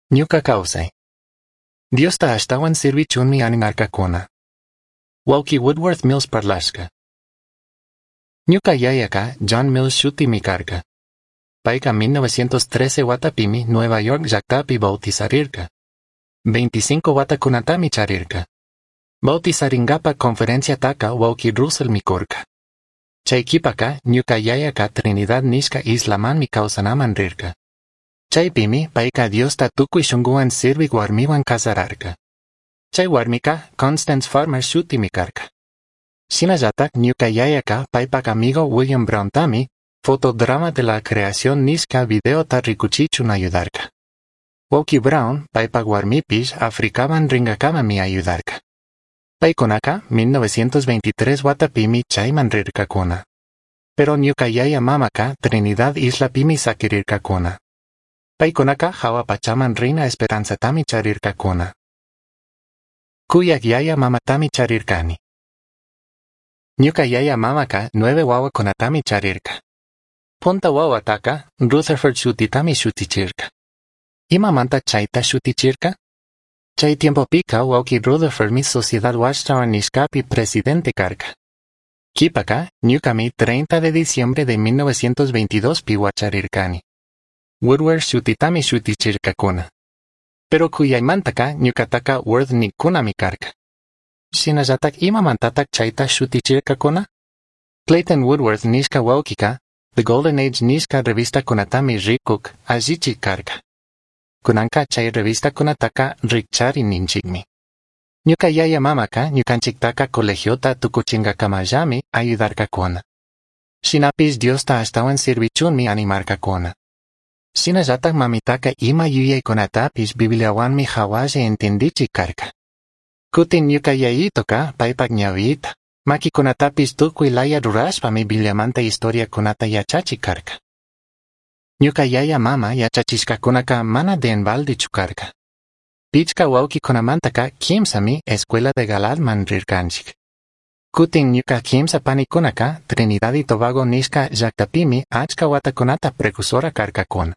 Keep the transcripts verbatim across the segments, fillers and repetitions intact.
Ñuca causai. Diosta ashtahuan sirvichunmi animarcacuna. Huauqui Woodworth Mills parlashca. Ñuca yayaca John Mills shutimi carca. Paica mil novecientos trece huatapimi Nueva York llactapi bautizarirca. veinticinco huatacunatami charirca. Bautizaringapa conferenciataca huauqui Russellmi curca. Chai quipaca ñuca yayaca Trinidad nishca islamanmi causanaman rirca. Chaipimi paica Diosta tucui shunguhuan sirvic huarmihuan cazararca. Chai huarmica Constance Farmer shutimi carca. Shinallatak ñuca yayaca paipac amigo William Browntami Fotodrama de la Creación nishca videota ricuchichun ayudarca. Huauqui Brown paipac huarmipish Africaman ringacamami ayudarca. Paicunaca mil novecientos veintitrés huatapimi chaiman rircacuna. Pero ñuca yaya mamaca Trinidad islapimi saquirircacuna. Paicunaca jahua pachaman rina esperanzatami charircacuna. Cuyac yaya mamatami charircani. Ñuca yaya mamaca nueve huahuacunatami charirca. Punta huahuataca Rutherford shutitami shutichirca. Imamanta chaita shutichirca? Chai tiempopica huauqui Rutherfordmi Sociedad Watchtower nishcapi presidente carca. Quipaca, ñucami treinta de diciembre de mil novecientos veintidós pi huacharircani. Woodworth shutitami shutichircacuna. Pero cuyaimantaca ñucataca Worth nicunami carca. Shinallatak imamantatak chaita shutichircacuna? Clayton Woodworth nishca huauquica The Golden Age nishca revistacunatami ricuc, allichic carca. Cunanca chai revistacunataca ricchari ninchicmi. Ñuca yaya mamaca ñucanchictaca colegiota tucuchingacamallami ayudarcacuna. Shinapish Diosta ashtahuan sirvichunmi animarcacuna. Shinallatak mamitaca ima yuyaicunatapish Bibliahuanmi jahualla entendichic carca. Cutin ñuca yayitoca paipac ñahuita, maquicunatapish tucui laya rurashpami Bibliamanta historiacunata yachachic carca. Ñuca yaya mama yachachishcacunaca mana de en baldechu carca. Pichca huauquicunamantaca quimsami Escuela de Galaadman rircanchic. Cutin ñuca quimsa panicunaca Trinidad y Tobago nishca llactapimi achca huatacunata precursora carcacuna.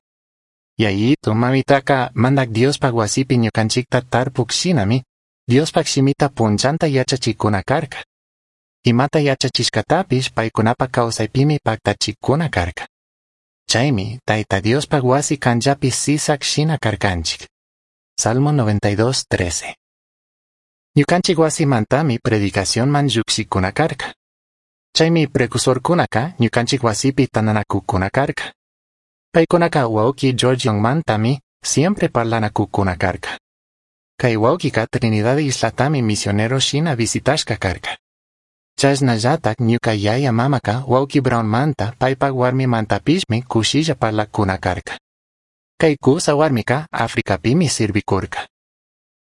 Yayito mamitaca Mandac Diospac huasipi ñucanchicta tarpuc shinami Diospac shimita punchanta yachachicuna carca. Imata yachachishcatapish paicunapac causaipimi pactachicuna carca. Chaimi Taita Diospac huasi canllapi sisac shina carcanchic. Salmo noventa y dos, trece. Ñucanchic huasimantami predicacionman llucshicuna carca. Chaimi precursorcunaca ñucanchic huasipi tandanacuccuna carca. Paicunaca huauqui George Youngmantami siempre parlanacuccuna carca. Cai huauquica Trinidad islatami misionero shina visitashca carca. Chashnallatak ñuca yaya mamaca huauqui Brownmanta paipac huarmimantapishmi cushilla parlaccuna carca. Cai cusa huarmica Africapimi sirvicurca.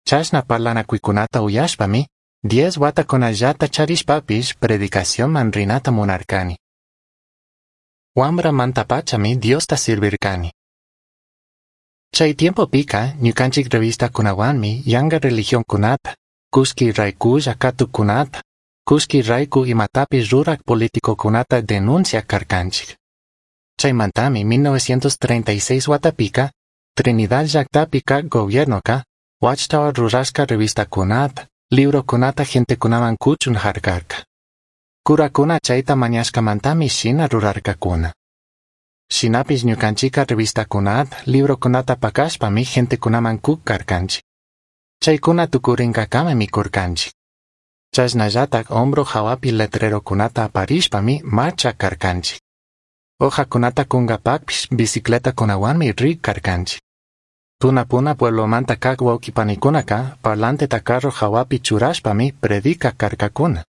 Chashna parlanacuicunata uyashpami, diez huatacunallata charishpapish predicacionman rinata munarcani. Huambramantapachami Diosta sirvircani. Chai tiempopica ñucanchic revistacunahuanmi yanga religioncunata, cullqui raiculla catuccunata, cullqui raicu imatapish rurac politicocunata denunciac carcanchic. Chaimantami mil novecientos treinta y seis huatapica Trinidad llactapi cac gobiernoca Watchtower rurashca revistacunata, librocunata gentecunaman cuchun jarcarca. Curacuna chaita mañashcamantami shina rurarcacuna. Shinapish ñucanchica revistacunata, librocunata pacashpami gentecunaman cuc carcanchic. Chaicuna tucurincacamami curcanchic. Chashnallatak hombro jahuapi letrerocunata aparishpami marcha carcanchic. Hojacunata cungapacpish bicicletacunahuanmi ric carcanchic. Tunapuna pueblomanta cac huauquipanicunaca parlanteta carro jahuapi churashpami predicac carcacuna.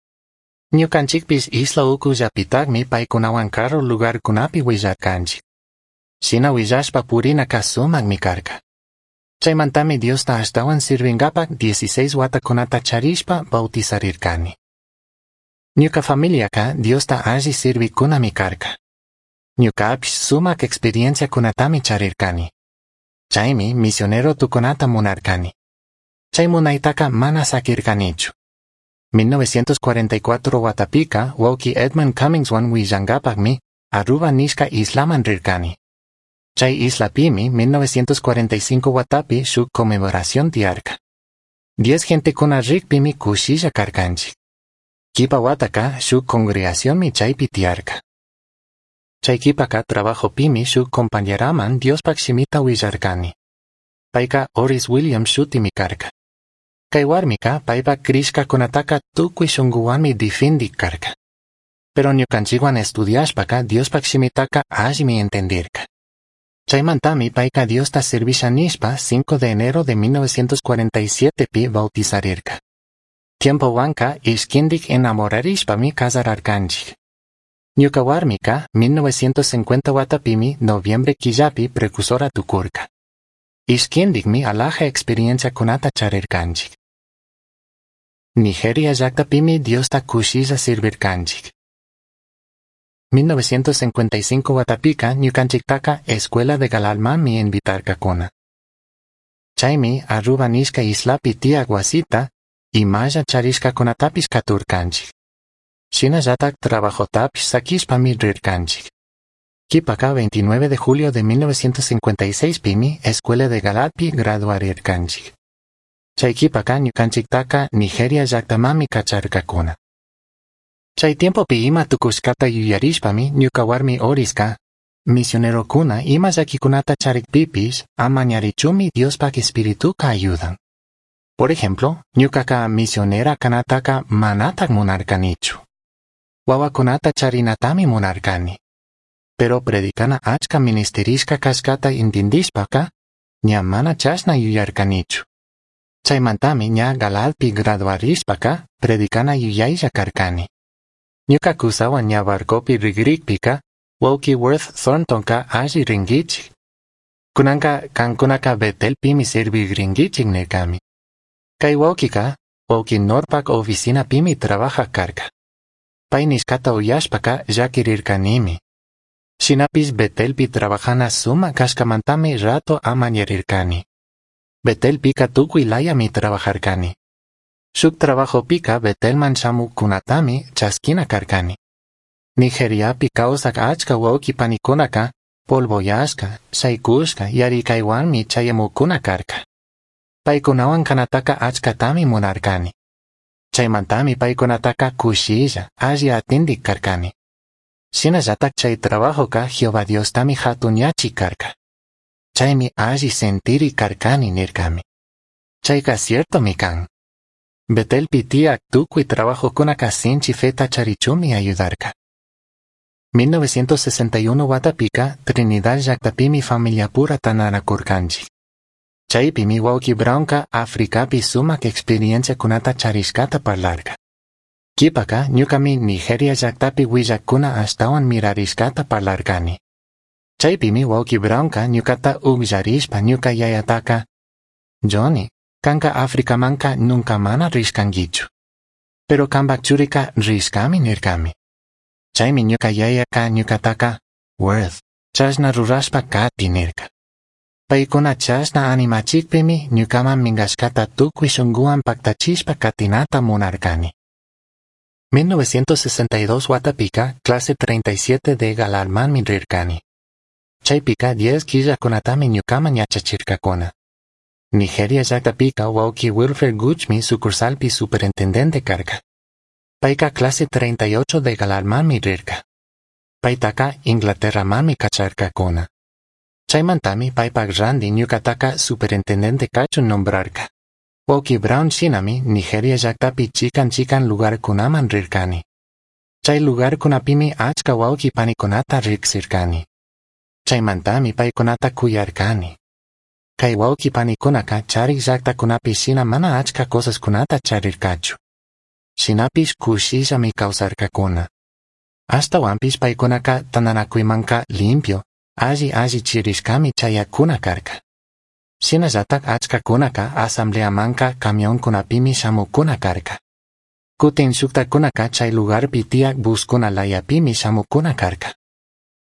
Ñucanchicpish isla ucullapitacmi paicunahuan caru lugarcunapi huillarcanchic. Shina huillashpa purinaca sumacmi carca. Chaimantami Diosta ashtahuan sirvingapac dieciséis huatacunata charishpa bautizarircani. Ñuca familiaca Diosta alli sirviccunami carca. Ñucapish sumac experienciacunatami charircani. Chaimi misionero tucunata munarcani. Chai munaitaca mana saquircanichu. mil novecientos cuarenta y cuatro huatapica huauqui Edmund Cummingshuan huillangapacmi Aruba nishca islaman rircani. Chay islapimi mil novecientos cuarenta y cinco huatapi shuk conmemoración tiyarka. Diez gentekuna rikpimi kushilla karkanchik. Kipa wataka shuk congregacionmi chaypi tiyarka. Chay kipaka trabajopimi shuk compañeraman Diospak shimita willarkani. Payka Oris Williams shutimi karka. Kay warmika paypak krishkakunataka tukuy shunkuwanmi difindik karka. Pero ñukanchikwan estudiashpaka Diospak shimitaka allimi entendirka. Chaymantami payka Diosta servisha nishpa cinco de enero de mil novecientos cuarenta y siete pi bautizarirka. Tiempo wanka ishkindik enamorarishpami casararkanchik. Ñuka warmika mil novecientos cincuenta watapimi noviembre killapi precursora tukurka. Ishkindikmi alaja experiencia kunata charirkanchik. Nigeria llaktapimi Diosta kushilla sirvirkanchik. mil novecientos cincuenta y cinco watapika ñukanchiktaka Escuela de Galaadmanmi invitarkakuna. Chaymi Aruba nishka islapi tiyak wasita imalla charishkakunatapish katurkanchik. Shinallatak trabajotapish sakishpami rirkanchik. Kipaka veintinueve de julio de mil novecientos cincuenta y seis pimi Escuela de Galaadpi graduarirkanchik. Chay kipaka ñukanchiktaka Nigeria llaktamami kacharkakuna. Chay tiempopi ima tukushkata yuyarishpami ñuka warmi Oriska, misionerokuna ima llakikunata charikpipish amañarichumi Diospak espirituka ayudan. Por ejemplo, ñukaka misionera kanataka manatak munarkanichu. Wawakunata charinatami munarkani. Pero predicana achka ministerishka kashkata intindishpaka, ña mana chashna yuyarkanichu. Chaymantami ña Galaadpi graduarishpaka predicana yuyaylla karkani. Ñuka kusawan ña barcopi rigrikpika, wawki Worth Thorntonka alli rinkichik. Kunanka kankunaka Betelpimi servigrinkichik nirkami. Kay wawkika, wawki Knorrpak oficinapimi trabaja karka. Pay nishkata uyashpaka llakirirkanimi. Shinapish Betelpi trabajana suma kashkamantami rato amañarirkani. Betelpika tukuy layami trabajarkani. Shuk trabajopika Betelman shamukunatami chaskina karkani. Nigeriapi kawsak achka wawki panikunaka polvoyashka, shaykushka, yarikaywanmi chayamukuna karka. Paykunawan kanataka achkatami munarkani. Chaymantami paykunataka kushilla, alli atindik karkani. Shinallatak chay trabajoka Jehová Diostami hatunyachi karka. Chaymi alli sentiri karkani nirkami. Chayka ciertomi kan. Betelpi tiyak tukuy trabajokunaka sinchi feta charichumi ayudarka. mil novecientos sesenta y uno watapika Trinidad llaktapimi familiapura tananakurkanchik. Chaypimi wawki Brownka Afrikapi sumak experienciakunata charishkata parlarka. Kipaka ñukami Nigeria llaktapi willakuna ashtawan mirarishkata parlarkani. Chaypimi wawki Brownka ñukata ukllarishpa ñuka yayataka, Johnny, kanka Afrikamanka nunca mana rishkankichu. Pero kanpak churika rishkami nirkami. Chaymi ñuka yayaka ñukataka, Worth, chashna rurashpa kati nirka. Paykuna chashna animachikpimi ñukaman minkashkata tukuy shunkuwan paktachishpa katinata munarkani. mil novecientos sesenta y dos watapika clase treinta y siete de Galaadmanmi rirkani. Chaypika diez killakunatami ñukaman yachachirkakuna. Nigeria llaktapika wawki Wilfred Goochmi sucursalpi superintendente karka. Payka clase treinta y ocho de Galaadmanmi rirka. Paytaka Inglaterramanmi kacharkakuna. Chaymantami paypak randi ñukataka superintendente kachun nombrarka. Wawki Brown shinami Nigeria llaktapi chikan chikan lugarkunaman rirkani. Chay lugarkunapimi achka wawki panikunata riksirkani. Chaymantami paykunata kuyarkani. Kay wawki panikunaka charik llaktakunapi shina mana achka cosaskunata charirkachu. Shinapish kushillami kawsarkakuna. Ashtawanpish paykunaka tananakuymanka limpio, alli alli chirishkami chayakuna karka. Shinallatak achkakunaka asambleamanka camionkunapimi shamukuna karka. Kutin shuktakunaka chay lugarpi tiyak buskuna layapimi shamukuna karka.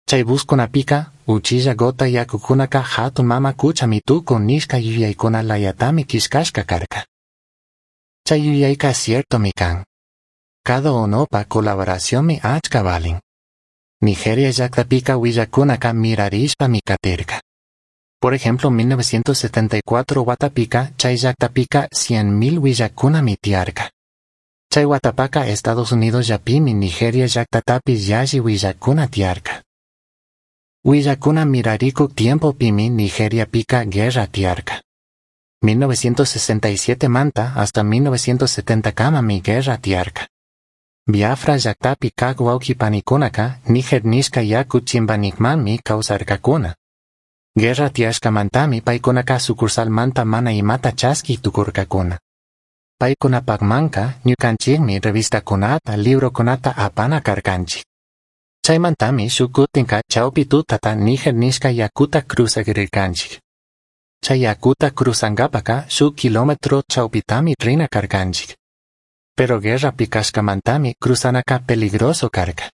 Chay buskunapika uchilla gota yakukunaka hatun mama kuchami tukun nishka yuyaykuna layatami kishkashka karka. Chay yuyayka ciertomi kan. Cada unopa colaboracionmi achka valin. Nigeria llajtapika huillajcunaka mirarishpami catirca. Por ejemplo, mil novecientos setenta y cuatro huatapika chai llajtapika cien mil huillajcunami tiyarca. Chai huatapaca Estados Unidos llapimi Nigeria llajtatapish yalli huillajcuna tiyarca. Huillajcuna miraricuj tiempopimi Nigeriapika guerra tiyarca. mil novecientos sesenta y siete manta hasta mil novecientos setenta camami guerra tiyarca. Biafra llajtapi caj huauqui panicunaca Niger nishca yacu chimbanijmanmi causarcacuna. Guerra tiyashcamantami paicunaca sucursalmanta mana imata chasqui tucurcacuna. Paicunapajmanca ñucanchijmi revistacunata, librocunata apana carcanchij. Chaimantami shuj cutinca chaupi tutata Niger nishca yacuta cruzagrircanchij. Chai yacuta cruzangapaca shuj kilómetro chaupitami rina carcanchij. Pero guerrapi cashcamantami cruzanaca peligroso carca.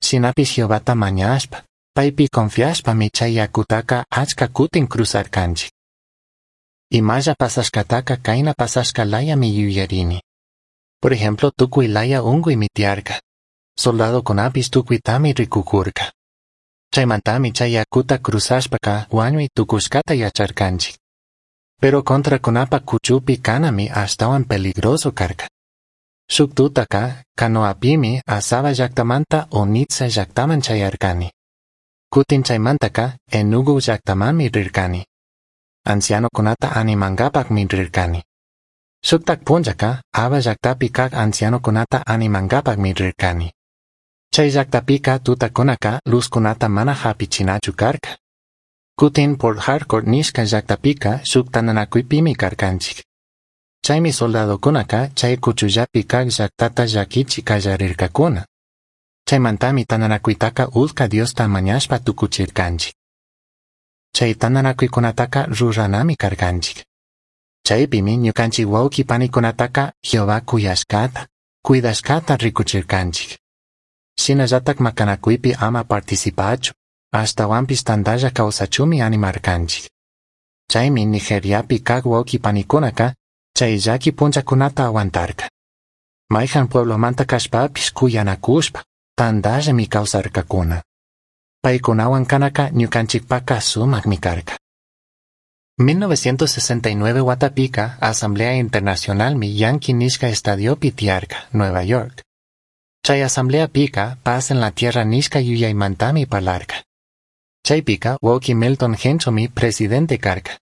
Shinapish Jehovata mañashpa, paipi confiashpami chai yacutaca achca cutin cruzarcanchij. Imalla pasashcataca caina pasashca layami yuyarini. Por ejemplo, tucui laya ungüimi tiyarca. Soldadocunapish tucuitami ricucurca. Chaimantami chay yacuta cruzashpaca huañui tucushcata yacharcanchij. Pero contracunapa cuchupi canami ashtahuan peligroso carca. Shuc tutaca canoapimi Asaba llajtamanta Onitsha llajtaman chayarcani. Cutin chaimantaka Enugu llajtamanmi rircani. Ancianocunata animangapajmi rircani. Shuktak punllaka Aba llajtapi kaj ancianocunata animangapajmi rircani. Chai llajtapika tutacunaca luzcunata mana japichinachu carca. Cutin Port Harcourt nishca llajtapika shuk tandanacuipimi carcanchij. Chaimi soldadocunaca chai cuchullapi kaj llajtata llaquichi callarircacuna. Chaimantami tandanacuitaca utca Diosta mañashpa tucuchircanchij. Chai tandanacuicunataca ruranami carcanchij. Chaipimi ñucanchij huauqui panicunataca Jehová cuyashcata, cuidashcata ricuchircanchij. Shinallataj macanacuipi ama participachu, ashtahuanpish tandalla causachunmi animarcanchij. Chaimi Nigeriapi kaj huauqui panicunaca chai llaqui punllacunata aguantarca. Maijan pueblomanta cashpapish cuyanacushpa, tandallami causarcacuna. Paicunahuan canaca ñucanchijpaca sumajmi carca. mil novecientos sesenta y nueve huatapika Asamblea Internacionalmi Yankee nishca estadiopi tiyarca, Nueva York. Chai asambleapica Paz en la Tierra nishca yuyaimantami parlarca. Chaipica huauqui Milton Henschelmi presidente carca.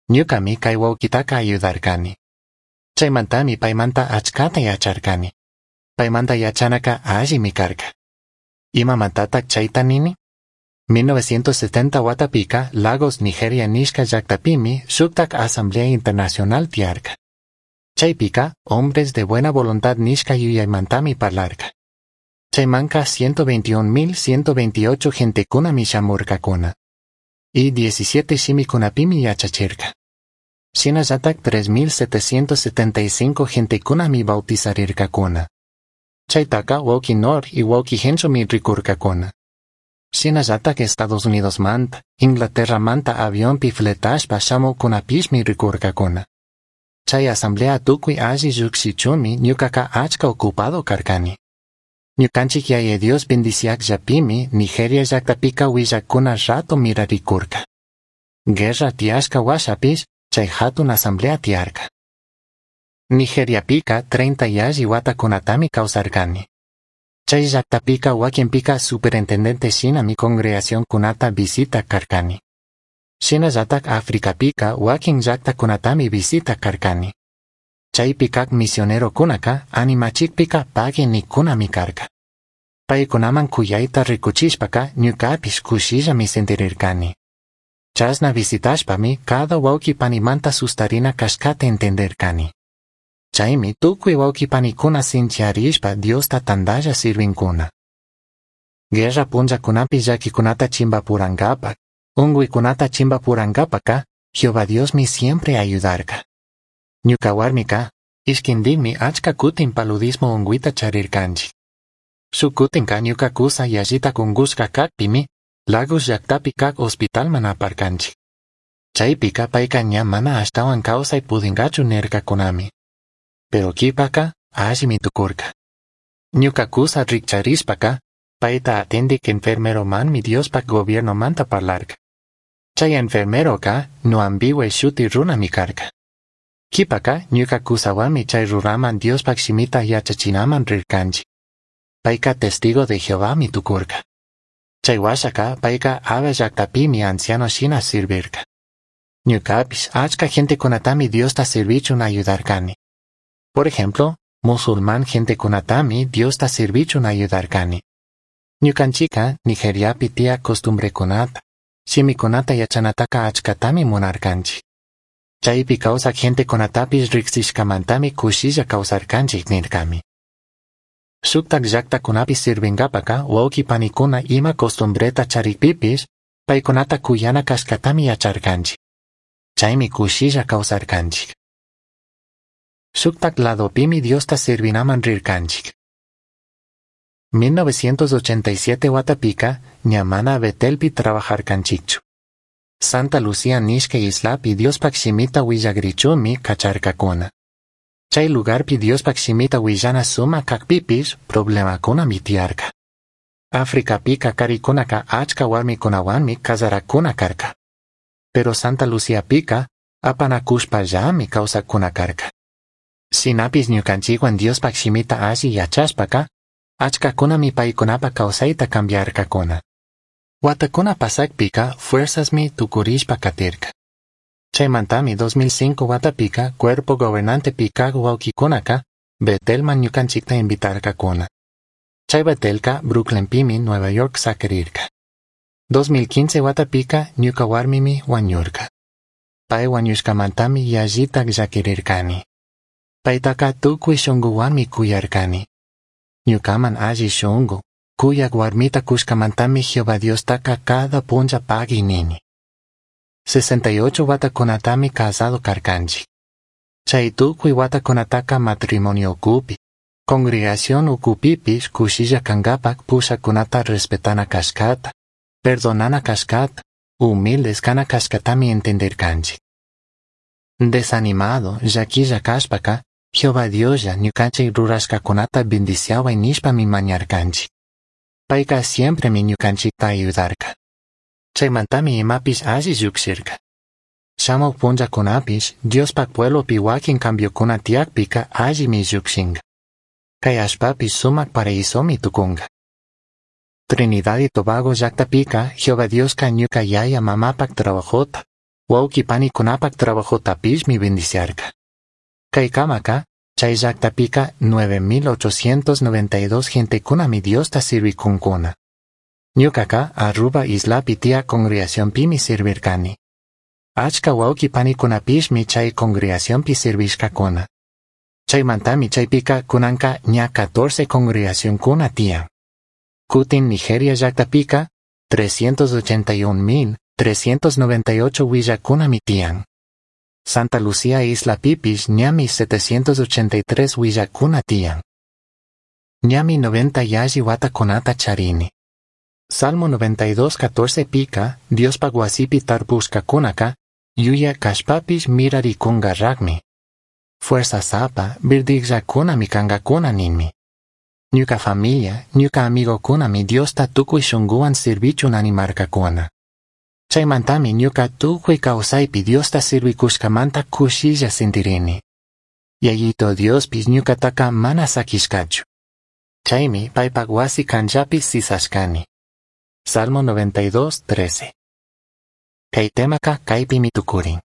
Ñucami cai huauquitaca ayudarcani. Chaimantami paimanta achcata yacharcani. Paimanta yachanaca allimi carca. Imamantataj chaita nini? mil novecientos setenta huatapika Lagos, Nigeria nishca llajtapimi shuktak Asamblea Internacional tiyarca. Chaipica Hombres de Buena Voluntad nishca yuyaimantami parlarca. Chaimanca ciento veintiún mil ciento veintiocho gentecunami shamurcacuna. Y diecisiete shimicunapimi yachachirca. Shinallataj tres mil setecientos setenta y cinco gentecunami bautizarircacuna. Chaitaca huauqui Knorr y huauqui Henschelmi ricurcacuna. Shinallataj Estados Unidos manta, Inglaterra manta avionpi fletashpa shamucunapishmi ricurcacuna. Chai asamblea tucui alli llujshichunmi ñucaca achca ocupado carcani. Ñucanchij Yaya Dios bendiciajllapimi Nigeria llajtapika huillajcuna rato miraricurca. Guerra tiyashca huashapish chai jatun asamblea tiyarca. Nigeriapica treinta yalli huatacunatami causarcani. Chai llajtapika huaquinpica superintendente shinami congregacioncunata visitaj carcani. Shinallataj Africapica huaquin llajtacunatami visitaj carcani. Chaipi caj misionerocunaca animachijpica pagui nijcunami carca. Paicunaman cuyaita ricuchishpaca ñucapish cushillami sentirircani. Chashna visitashpami cada huauqui panimanta sustarina cashcata entendircani. Chaimi tucui huauqui panicuna sinchiyarishpa Diosta tandalla sirvincuna. Guerra punllacunapi llaquicunata chimbapurangapaj, ungüicunata chimbapurangapaca Jehová Diosmi siempre ayudarca. Ñuca huarmica, ishquindijmi achca cutin paludismo ungüita charircanchij. Shuj cutinca ñuca cusa yallitaj ungushca cajpimi Lagos llajtapi caj hospitalman aparcanchij. Chaipica paica ña mana ashtahuan causai pudingachu nircacunami. Pero q'uipaca allimi tucurca. Ñuca cusa rijcharishpaca Paita atindik enfermeromanmi Diospak gobiernomanta parlarca. Chay enfermeroka Nwambiwe shuti runami karka. Kipaka ñuka kusawanmi chay runaman Diospak shimita yachachinaman rirkanchik. Payka testigo de Jehovami tukurka. Chay washaka payka Aba llaktapimi anciano shina sirvirka. Ñukapish achka gentekunatami Diosta sirvichun ayudarkani. Por ejemplo, musulmán gentekunatami Diosta sirvichun ayudarkani. Ñukanchika Nigeriapi tiyak costumbrekunata, shimikunata yachanataka achkatami munarkanchik. Chaypi kawsak gentekunatapish riksishkamantami kushilla kawsarkanchik nirkami. Shuktak llaktakunapi sirvinkapaka wawqi panikuna ima costumbreta charikpipish paykunata kuyana kashkatami yacharkanchik. Chaymi kushilla kawsarkanchik. Shuktak ladopimi Diosta sirvinaman rirkanchik. mil novecientos ochenta y siete watapika ña mana Betelpi trabajarkanchikchu. Santa Lucía nishka islapi Diospak shimita willagrichunmi kacharkakuna. Chay lugarpi Diospak shimita willana sumak kakpipish problemakunami tiyarka. Africapika karikunaka achka warmikunawanmi kasarakuna karka. Pero Santa Luciapika apanakushpallami kawsakuna karka. Shinapish ñukanchikwan Diospak shimita alli yachashpaka, achkakunami paykunapa kawsayta cambiarkakuna. Watakuna pasakpika fuerzasmi tukurishpa katirka. Chaymantami dos mil cinco watapika cuerpo gobernante kak wawkikunaka Betelman ñukanchikta invitarkakuna. Chay Betelka Brooklynpimi Nueva York sakirirka. dos mil quince watapika ñuka warmimi wañurka. Pay wañushkamantami yallitak llakirirkani. Paytaka tukuy shunkuwanmi kuyarkani. Ñukaman alli shunku, kuyak warmita kushkamantami Jehová Diostaka cada punlla pagui nini. sesenta y ocho watakunatami casado karkanchik. Chay tukuy watakunataka matrimonio ukupi, congregación ukupipish kushilla kankapak pushakunata respetana kashkata, perdonana kashkata, humildes kana kashkatami entenderkanchik. Desanimado, llaquilla kashpaka, Jehová Dioslla ñukanchik rurashkakunata bendiciaway nishpami mañarkanchik. Payka siempremi ñukanchikta ayudarka. Chaymantami imapish alli llukshirka. Shamuk punllakunapish Diospak pueblopi wakin cambiokuna tiyakpika allimi llukshinka. Kay allpapish sumak paraisomi tukunka. Trinidad y Tobago llaktapika Jehová Dioska ñuka yaya mamapak trabajota, wawqi panikunapak trabajotapishmi bendiciarka. Kaykamaka, chay llaktapika nueve mil ochocientos noventa y dos gentekunami Diosta sirvikunkuna. Ñukaka Aruba islapi tiyak congregacionpimi sirvirkani. Achka wawqi panikunapishmi chay congregacionpi sirvishkakuna. Chaymantami chaypika kunanka ña catorce congregacionkuna tiyan. Kutin Nigeria llaktapika trescientos ochenta y un mil trescientos noventa y ocho willakunami tiyan. Santa Lucía islapipish ñami setecientos ochenta y tres willakuna tiyan. Ñami noventa yalli watakunata charini. Salmo noventa y dos catorce pika, Diospak wasipi tarpushkakunaka, yuya kashpapish mirarikungarrakmi. Fuerza sapa, birdikllakunami kankakuna ninmi. Ñuka familia, ñuka amigokunami Diosta tukuy shunkuwan sirvichun animarkakuna. Chaymantami ñuka tukuy kawsaypi Diosta sirvikushkamanta kushilla sintirini. Yayito Diospish ñukataka mana sakishkachu. Chaymi paypak wasi kanllapi sisashkani. Salmo noventa y dos, trece. Kay temaka kaypimi tukurin.